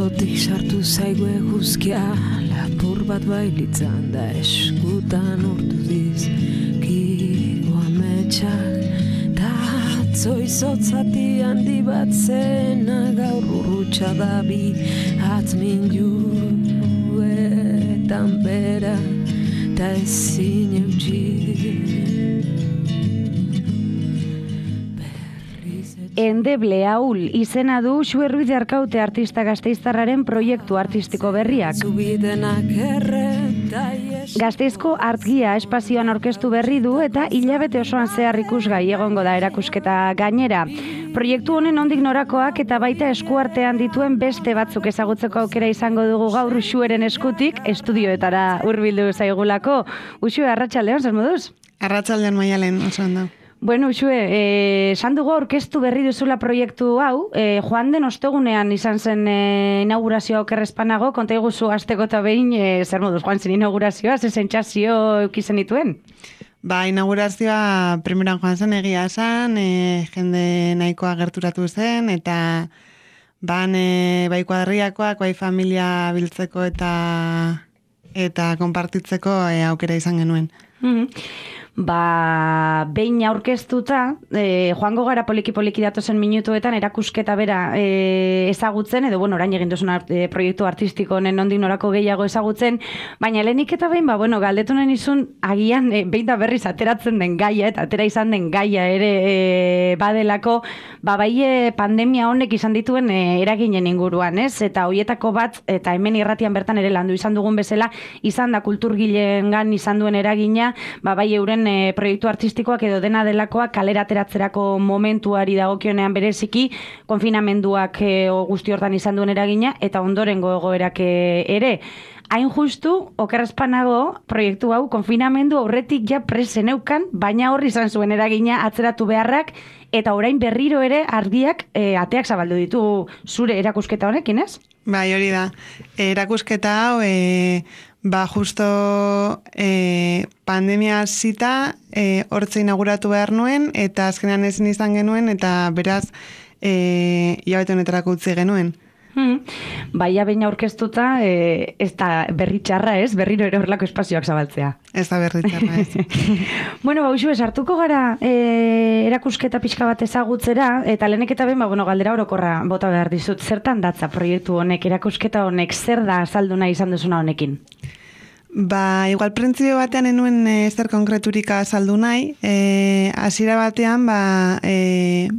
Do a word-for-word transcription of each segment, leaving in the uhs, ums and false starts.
Atzotik sartu zaigu eguzkia, lapur bat bailitzan da eskutan urtu dizkigu ametsak. Ta atzo izotzati handi bat zena gaur urrutsa da bi atmin juetan bera ta ezin eutxi. Endeble Aul izena du Xue Ruiz de Arkaute artista gasteiztarraren proiektu artistiko berriak. Gasteizko artgia espazioan aurkeztu berri du eta hilabete osoan zehar ikusgai egongo da erakusketa gainera. Proiektu honen nondik norakoak eta baita eskuartean dituen beste batzuk ezagutzeko aukera izango dugu gaur Xueren eskutik estudioetara hurbildu zaigulako. Uxue, arratsaldeon, zer moduz? Arratsaldeon Maialen, oso ondo. Bueno, Uxue, eh, esan dugu aurkeztu berri duzula proiektu hau, eh, joan den ostegunean izan zen eh, inaugurazioa okerrezpanago, konta iguzu azteko eta behin, eh, zer moduz, joan zen inaugurazioa, ze sentsazio eukizen dituen? Ba, inaugurazioa primeran joan zen egia esan, eh, jende nahikoa gerturatu zen, eta ban eh, bai kuadriakoak, bai familia biltzeko eta eta konpartitzeko eh, aukera izan genuen. Mm-hmm. Ba, behin aurkeztuta, e, joango gara poliki-poliki datozen minutuetan erakusketa bera e, ezagutzen, edo, bueno, orain egin duzun e, proiektu artistiko honen nondik norako gehiago ezagutzen, baina lehenik eta behin, ba, bueno, galdetu nahi nizun, agian, e, behin da berriz ateratzen den gaia, eta atera izan den gaia ere e, badelako, ba, bai e, pandemia honek izan dituen e, eraginen inguruan, ez? Eta hoietako bat, eta hemen irratian bertan ere landu izan dugun bezala, izan da kulturgileengan izan duen eragina, ba, bai euren E, proiektu artistikoak edo dena delakoak kalera ateratzerako momentuari dagokionean bereziki, konfinamenduak e, guzti hortan izan duen eragina, eta ondorengo egoerak e, ere. Hain justu, okerrezpanago proiektu hau konfinamendu aurretik ja preseneukan, baina horri izan zuen eragina atzeratu beharrak, eta orain berriro ere argiak e, ateak zabaldu ditu zure erakusketa honekin, ez? Bai, hori da. Erakusketa hau, e, ba, justo e, pandemia zita e, hortze inauguratu behar nuen, eta azkenean ezin izan genuen, eta beraz, e, hilabete honetarako utzi genuen. Hmm. Baina behin aurkeztuta, e, ez da berri txarra, ez? Berriro ere horrelako espazioak zabaltzea. Ez da berri txarra, ez. Bueno, ba, Uxue, sartuko gara e, erakusketa pixka bat ezagutzera, eta lehenek eta behin, ba, bueno, galdera orokorra bota behar dizut. Zertan datza proiektu honek, erakusketa honek, zer da azaldu nahi izan duzuna honekin? Ba, igual printzipio batean enuen e, zer konkreturika azaldu nahi. E, hasiera batean, ba, e,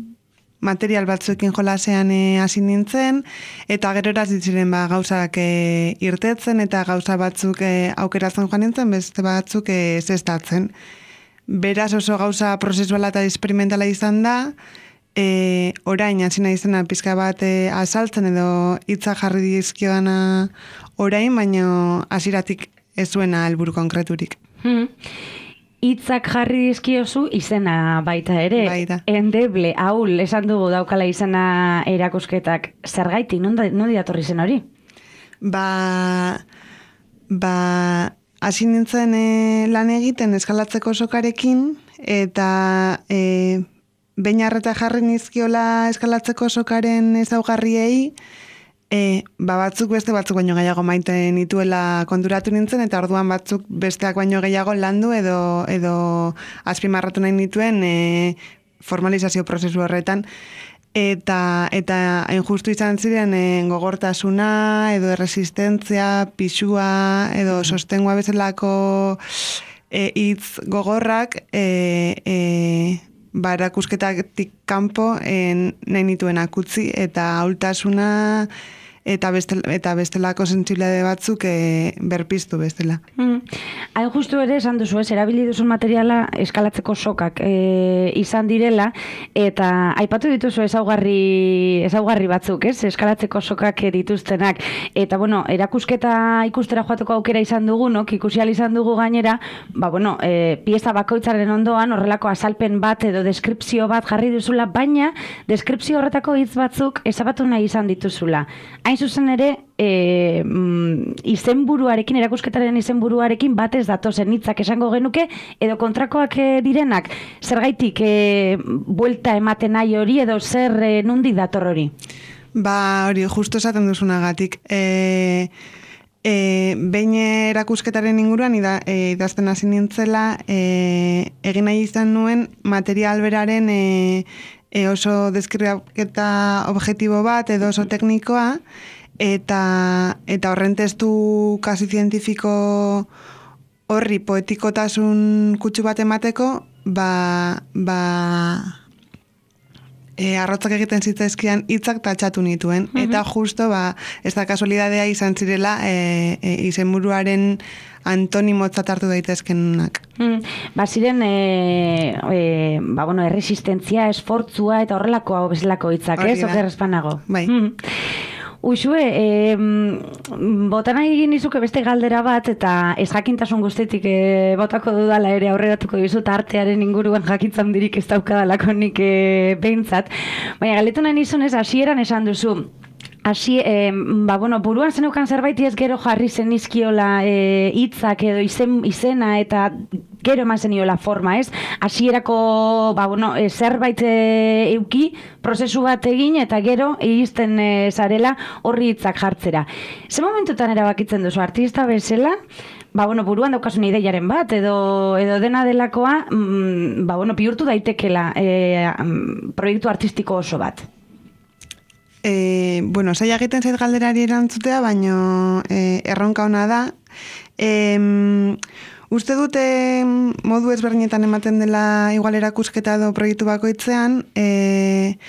material batzuekin jolasean hasi nintzen, eta gero eraz ditziren ba, gauzak e, irtetzen, eta gauza batzuk e, aukeratzen joan nintzen, beste batzuk e, zestatzen. Beraz oso gauza prozesuala eta experimentala izan da, e, orain hasi nahi izena pizka bat e, azaltzen edo hitza jarri dizkiodana orain, baina hasieratik ez zuena helburu konkreturik. Hmm. Hitzak jarri dizkiozu izena baita ere. Baita. Endeble, Aul, esan dugu daukala izena erakusketak. Zergaitik, non diatorri zen hori? Ba, ba, hasi nintzen e, lan egiten eskalatzeko sokarekin, eta e, behin arreta jarri nizkiola eskalatzeko sokaren ezaugarriei, E, ba batzuk beste batzuk baino gehiago maite nituela konturatu nintzen, eta orduan batzuk besteak baino gehiago landu edo, edo azpimarratu nahi nituen e, formalizazio prozesu horretan. Eta, eta hain justu izan ziren e, gogortasuna edo erresistentzia, pisua edo sostengua bezalako hitz e, gogorrak e, e, ba, erakusketatik kanpo en, nahi nituen akutzi, eta ahultasuna eta, bestel, eta bestelako sentsibilitate batzuk e, berpiztu bestela. Mm. Hain justu ere esan duzu, ez, erabili duzun materiala eskalatzeko sokak e, izan direla, eta aipatu dituzu ezaugarri, ezaugarri batzuk, ez, eskalatzeko sokak dituztenak, eta bueno, erakusketa ikustera joateko aukera izan dugunok, ikusi ahal izan dugu gainera, ba bueno, e, pieza bakoitzaren ondoan horrelako azalpen bat edo deskripzio bat jarri duzula, baina deskripzio horretako hitz batzuk ezabatu nahi izan dituzula. Hain zuzen ere, e, mm, izenburuarekin, erakusketaren izenburuarekin batez datozen hitzak esango genuke, edo kontrakoak e, direnak, zergaitik e, buelta ematen nahi hori, edo zer e, nondik dator hori? Ba, hori, justo esaten duzunagatik. E, e, behin erakusketaren inguruan, ida, e, idazten hasi nintzela, e, egin nahi izan nuen material beraren e, e oso deskribaketa objektibo bat, edo oso teknikoa, eta, eta horren testu kasi zientifiko horri poetikotasun kutsu bat emateko, ba, ba, e, arrotzak egiten zitzaizkian hitzak tatxatu nituen. Mm-hmm. Eta justo, ba, ez da kasualidadea izan zirela e, e, izenburuaren antonimotzat hartu daitezkenak. Mm, ba, ziren, e, e, ba, bueno, erresistentzia, esfortzua, eta horrelako hau bezalako hitzak, ez? Oker espanago. Bai. Mm. Uxue, e, botan egin izuke beste galdera bat, eta ez jakintasun guztetik e, botako dudala ere aurreratuko dizut artearen inguruan jakintzan dirik ez daukadalako nik e, behintzat. Baina galetu nahi nizunez, hasieran esan duzu, Asi, eh, ba, bueno, buruan zenukan zerbait ez gero jarri zen izkiola hitzak edo izen, izena eta gero eman zeniola forma, ez? Hasierako ba, bueno, e, zerbait e, euki, prozesu bat egin eta gero iristen e, zarela horri hitzak jartzera. Ze momentutan erabakitzen duzu artista bezala, ba, bueno, buruan daukasun ideiaren bat, edo, edo dena delakoa, mm, ba, bueno, bihurtu daitekela e, proiektu artistiko oso bat? E, bueno, zaila egiten zait galderari erantzutea, baino e, erronka ona da. E, uste dute modu ezberdinetan ematen dela igual erakusketa edo proiektu bakoitzean, e,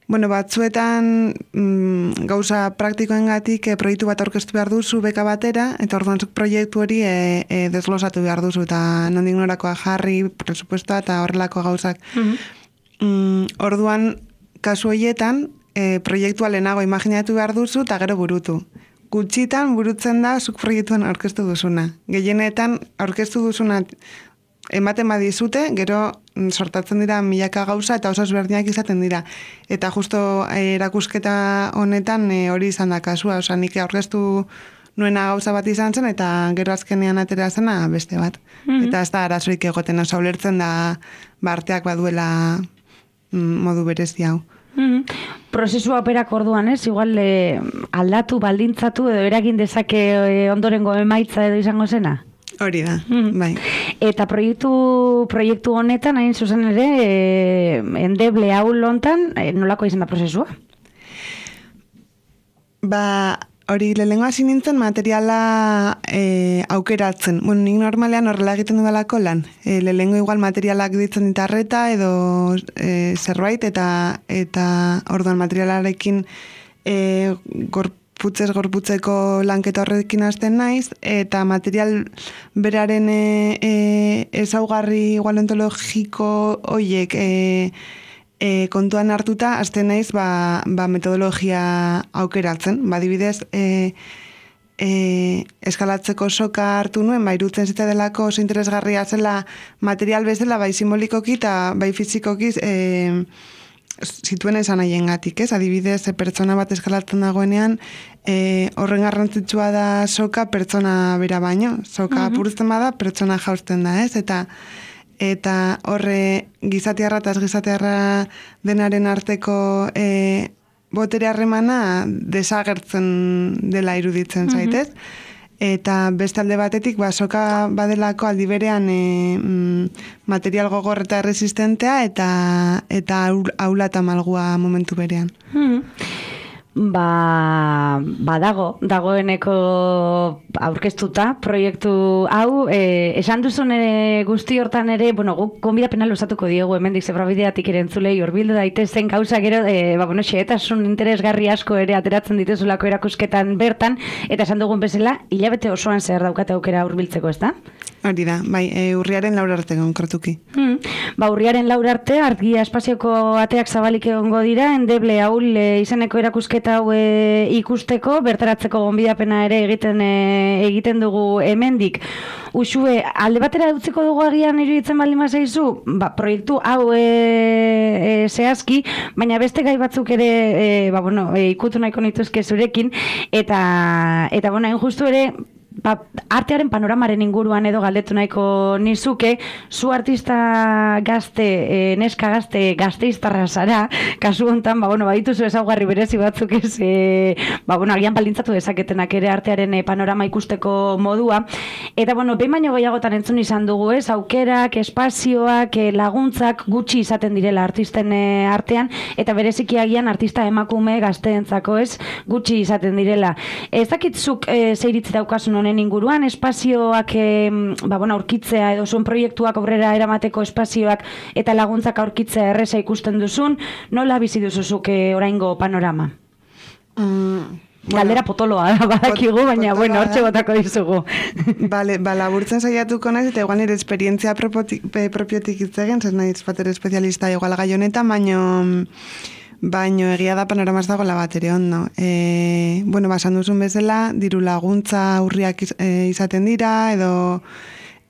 bueno, batzuetan mm, gauza praktikoengatik e, proiektu bat aurkeztu behar duzu beka batera, eta orduan zuk proiektu hori e, e, desglosatu behar duzu, eta nondik norakoa jarri, presupuestoa eta horrelako gauzak. Mm-hmm. mm, orduan, kasu horietan, E, proiektua lehenago imaginatu behar duzu eta gero burutu. Gutxitan burutzen da zuk proiektuan aurkeztu duzuna. Gehienetan aurkeztu duzuna ematen badizute, gero sortatzen dira milaka gauza eta oso ezberdinak izaten dira. Eta justo e, erakusketa honetan e, hori izan da kasua. Osa, nik aurkeztu nuena gauza bat izan zen eta gero azkenean atera zena beste bat. Mm-hmm. Eta ez da arazorik egoten, oso ulertzen da barteak baduela mm, modu berezi hau. Mm-hmm. Prozesua operak orduan, ez? Igual eh, aldatu, baldintzatu edo eragin dezake eh, ondorengo emaitza edo izango zena? Hori da, mm-hmm. bai. Eta proiektu proiektu honetan, hain zuzen ere, eh, endeble hau lontan, eh, nolako izan da prozesua? Ba, hori lehenengo hasi nintzen materiala e, aukeratzen. Bueno, nik normalean horrela egiten dudalako lan. E, lehenengo igual materialak ditzen ditarreta edo e, zerbait eta eta orduan materialarekin e, gorputzez gorputzeko lanketa horrekin hasten naiz eta material beraren e, e, ezaugarri igual ontologiko hoiek e, E, kontuan hartuta, azten naiz, ba, ba metodologia aukeratzen. Ba, dibidez, e, e, eskalatzeko soka hartu nuen, ba, irutzen zita delako oso interesgarria zela material bezala, bai simbolikoki eta bai fizikoki e, zituen esan nahien gatik, ez? Adibidez, e, pertsona bat eskalatzen dagoenean, e, horren garrantzitsua da soka pertsona bera baino. Soka uh-huh. apurtzen bada, pertsona jausten da, ez? Eta eta horre gizatearra eta gizatearra denaren arteko e, botere harremana desagertzen dela iruditzen zaitez. Mm-hmm. Eta beste alde batetik, ba, soka badelako aldi berean e, material gogor eta resistentea eta eta aula eta malgua momentu berean. Mm-hmm. Ba, badago, dagoeneko aurkeztuta proiektu hau, e, esan duzun ere guzti hortan ere, bueno, guk konbidapena luzatuko diegu hemendik zebrabideatik ere entzulei hurbildu daitezen gauza gero, e, ba, bueno, xehetasun interesgarri asko ere ateratzen dituzulako erakusketan bertan, eta esan dugun bezala, hilabete osoan zer daukate aukera hurbiltzeko, ez da? Hori da, bai, e, urriaren laur arte konkretuki. Hmm. Ba, urriaren laur arte, argia espazioko ateak zabalik egongo dira, endeble haul e, izeneko erakusketa hau e, ikusteko, bertaratzeko gonbidapena ere egiten e, egiten dugu hemendik. Uxue, alde batera dutziko dugu agian iruditzen baldin bazaizu, ba, proiektu hau e, e, zehazki, baina beste gai batzuk ere e, ba, bueno, e, ikutu nahiko nituzke zurekin, eta, eta bueno, hain justu ere, ba, artearen panoramaren inguruan edo galdetu nahiko nizuke, zu artista gazte, e, neska gazte, gazteiztarra zara, kasu hontan, ba, bueno, badituzu ezaugarri berezi batzuk ez, e, ba, bueno, agian baldintzatu dezaketenak ere artearen e, panorama ikusteko modua, eta, bueno, behin baino gehiagotan entzun izan dugu ez, aukerak, espazioak, e, laguntzak gutxi izaten direla artisten e, artean, eta bereziki agian artista emakume gazteentzako ez, gutxi izaten direla. Ez dakitzuk e, zeiritzi daukasun honen inguruan, espazioak e, ba, bueno, aurkitzea edo zuen proiektuak aurrera eramateko espazioak eta laguntzak aurkitzea erreza ikusten duzun, nola bizi duzuzuk e, oraingo panorama? Mm, Galdera bueno, potoloa da, badakigu, pot, baina, bueno, hortxe botako dizugu. Bale, ba, laburtzen saiatuko naiz, eta igual nire esperientzia propiotik, propiotik itzegen, zer naiz bater espezialista igual gai honetan, baino... Baino egia da panorama ez dagoela bat ere ondo. E, bueno, basan duzun bezala, diru laguntza urriak iz, e, izaten dira, edo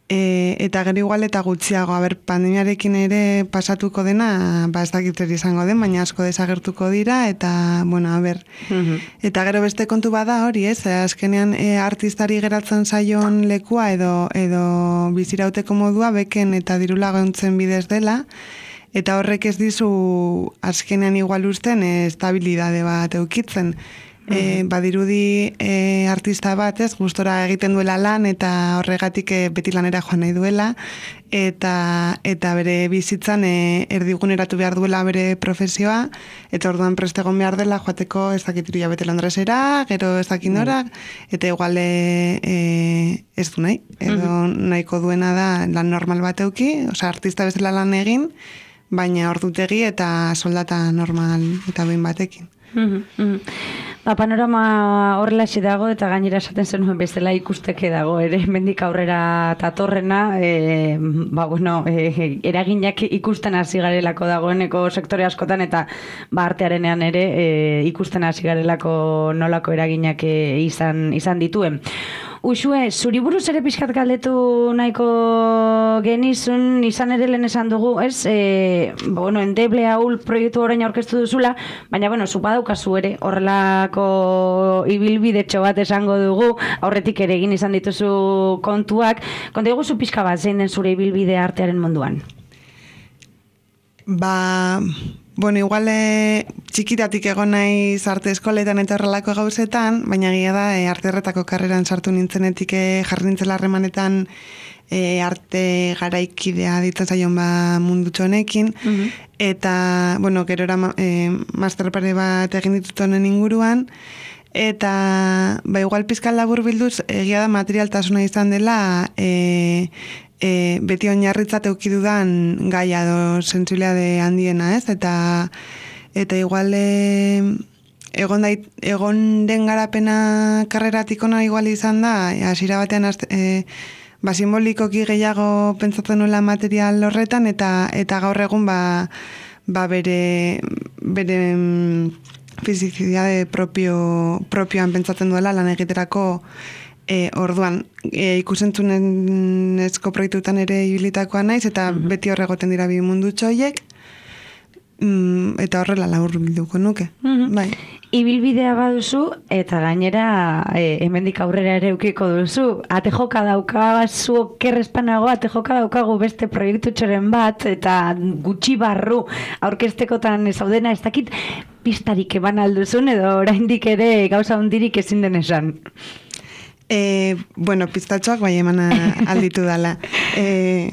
e, eta gero igual eta gutxiago. Aber, pandemiarekin ere pasatuko dena, ba ez dakit zer izango den, baina asko desagertuko dira, eta, bueno, a ber. Mm-hmm. Eta gero beste kontu bada hori, ez? Azkenean e, artistari geratzen zaion lekua edo, edo bizirauteko modua beken eta diru laguntzen bidez dela, eta horrek ez dizu azkenean igual usten e, estabilidade bat eukitzen. Mm-hmm. E, badirudi e, artista bat ez, gustora egiten duela lan eta horregatik e, beti lanera joan nahi duela, eta, eta bere bizitzan e, erdiguneratu behar duela bere profesioa, eta orduan prestegon behar dela joateko ez dakit iru jabete Londresera, gero ez dakit nora, eta igual e, e, ez du nahi, edo mm-hmm. nahiko duena da lan normal bat euki, osea artista bezala lan egin, baina ordutegi eta soldata normal eta behin batekin. Mm -hmm. Ba, panorama horrelaxe dago eta gainera esaten zenuen bezala ikusteke dago ere mendik aurrera tatorrena, e, ba, bueno, e, eraginak ikusten hasi garelako dagoeneko sektore askotan eta ba, artearenean ere e, ikusten hasi garelako nolako eraginak e, izan, izan dituen. Uxue, zuri buruz ere pixkat galdetu nahiko genizun, izan ere lehen esan dugu, ez? E, bueno, endeble haul proiektu orain aurkeztu duzula, baina, bueno, zu badaukazu ere, horrelako ibilbidetxo bat esango dugu, aurretik ere egin izan dituzu kontuak. Konta dugu zu pixka bat, zein den zure ibilbide artearen munduan? Ba... Bueno, igual e, txikitatik egon naiz arte eskoletan eta horrelako gauzetan, baina egia da e, arte erretako karreran sartu nintzenetik e, jarri nintzela harremanetan e, arte garaikidea ditzen zaion ba mundutxo honekin, mm-hmm. eta, bueno, gerora e, master pare bat egin ditut honen inguruan, eta, ba, igual pizkal labur bilduz, egia da materialtasuna izan dela, e, E, beti oinarritzat eukidudan gaia do sentsibilitate handiena, ez? Eta eta igual e, egon, dait, egon den garapena karreratik ona igual izan da, hasiera batean e, ba, simbolikoki gehiago pentsatzen nuela material horretan, eta eta gaur egun ba, ba bere bere mm, fizizitate propio, propioan pentsatzen duela lan egiterako. E, orduan, e, ikusentzunezko proiektutan ere ibilitakoa naiz, eta mm-hmm. beti horregoten dira bi mundu txoiek, mm, eta horrela labur bilduko nuke. Mm-hmm. Bai. Ibilbidea baduzu, eta gainera e, hemendik aurrera ere eukiko duzu. Ate joka dauka, zu kerrespanago, ate joka daukagu beste proiektu txoren bat, eta gutxi barru aurkeztekotan zaudena, ez dakit pistarik eban alduzun, edo oraindik ere gauza hundirik ezin den esan. E, bueno, pistatxoak bai eman alditu dala. E,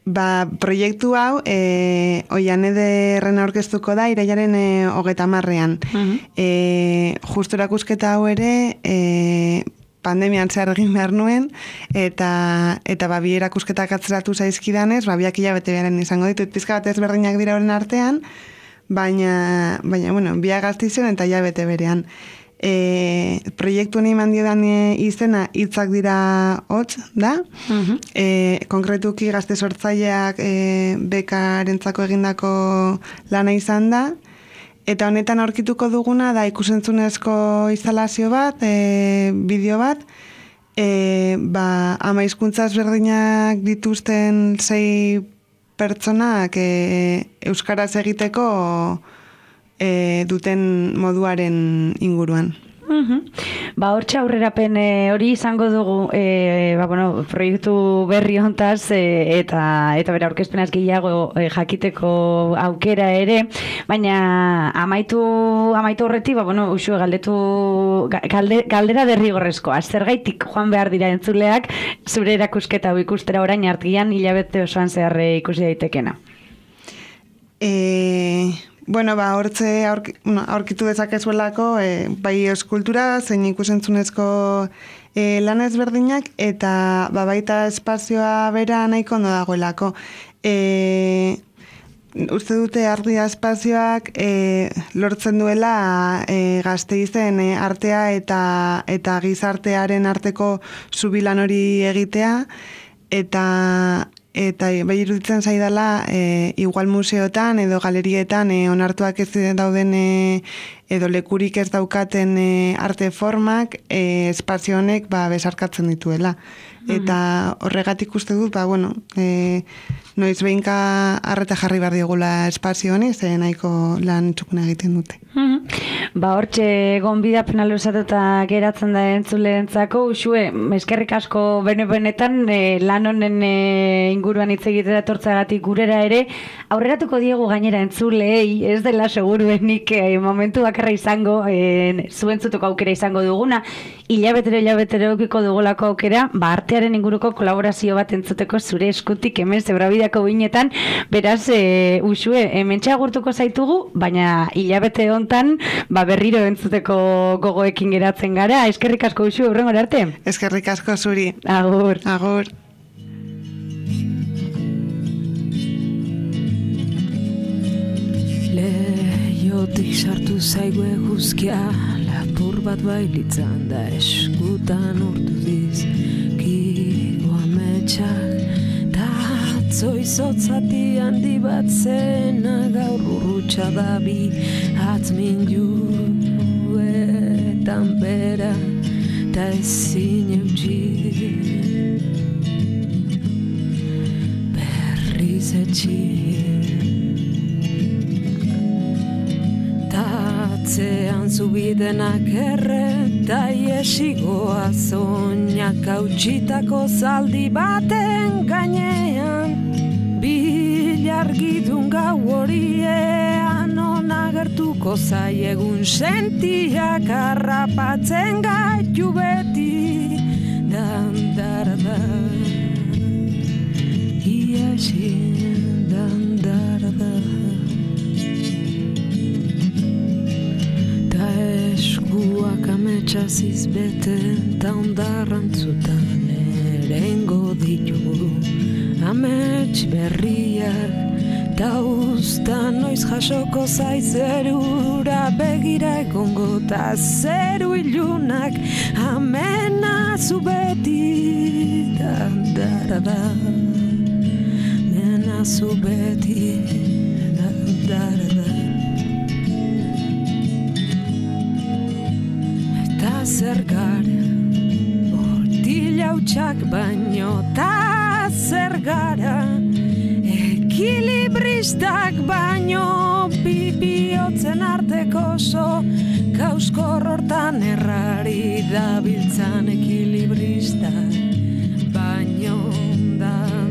ba, proiektu hau, e, oian ederren aurkeztuko da, irailaren e, hogeta marrean. Uh-huh. E, justu erakusketa hau ere, e, pandemian zehar egin behar nuen, eta, eta ba, bi erakusketak atzeratu zaizkidanez, ba, biak hilabete beharen izango ditut, pizka bat ezberdinak dira horren artean, baina, baina bueno, biak gaztizen eta hilabete berean. E, proiektu honi mandiodan e, izena hitzak dira hotz, da? Uh-huh. E, konkretuki gazte sortzaileak e, bekarentzako egindako lana izan da, eta honetan aurkituko duguna da ikusentzunezko instalazio bat, e, bideo bat, e, ba, ama hizkuntza ezberdinak dituzten sei pertsonak e, euskaraz egiteko E, duten moduaren inguruan. Uhum. Ba, hortxe aurrerapen e, hori izango dugu e, ba, bueno, proiektu berri hontaz e, eta eta bera aurkezpenaz gehiago e, jakiteko aukera ere, baina amaitu amaitu horretik, ba, bueno, usue galdetu galde, galdera derrigorrezkoa, zergaitik joan behar dira entzuleak zure erakusketa hau ikustera orain artian hilabete osoan zehar ikusi daitekena. Eh... Bueno, ba, hortze aurki, bueno, aurkitu dezakezuelako e, bai eskultura, zein ikusentzunezko e, lan ezberdinak, eta ba, baita espazioa bera nahiko ondo dagoelako. E, uste dute Ardia espazioak e, lortzen duela e, Gasteizen e, artea eta, eta gizartearen arteko zubilan hori egitea, eta Eta bai iruditzen zaidala e, igual museotan edo galerietan e, onartuak ez dauden e, edo lekurik ez daukaten e, arte formak e, espazio honek ba, besarkatzen dituela. Eta horregatik uste dut, ba, bueno, e, noiz behinka arreta jarri behar diogula espazio honi, ze nahiko lan txukuna egiten dute. Ba, hortxe gonbidapena luzatuta geratzen da entzuleentzako, usue, eskerrik asko bene-benetan e, lan honen e, inguruan hitz egitera etortzagatik gurera ere, aurreratuko diegu gainera entzuleei, ez dela seguruenik e, momentu bakarra izango, e, zuentzutuko aukera izango duguna, hilabetero hilabetero eukiko dugulako aukera, ba, artearen inguruko kolaborazio bat entzuteko zure eskutik hemen zebrabideako binetan, beraz, e, usue, hementxe agurtuko zaitugu, baina hilabete hontan, ba, berriro entzuteko gogoekin geratzen gara. Eskerrik asko usue, hurrengora arte. Eskerrik asko zuri. Agur. Agur. Leiotik sartu zaigu eguzkia, lapur bat bailitzan da eskutan urtu dizkigo ametsak, ta atzo izotzati handi bat zena gaur urrutsa da bi atzmin juetan bera ta ezin eutxi berriz etxi. Atzean zubidenak erreta iesigoa zoinak hautsitako zaldi baten gainean, bilargidun gau horiean onagertuko zaiegun sentiak harrapatzen gaitu beti, dandarada iesi dandarada. Eskuak ametsaziz bete ta ondarrantzutan erengo ditugu amets berriak ta usta noiz jasoko zaizerura begira egongo ta zeru ilunak amena zu beti dandarada mena zu beti dandarada. Zer gara, bortila hutsak baino, ta zer gara, ekilibristak baino, bibiotzen arteko oso, kauskor hortan errari dabiltzan ekilibristak, baino, dan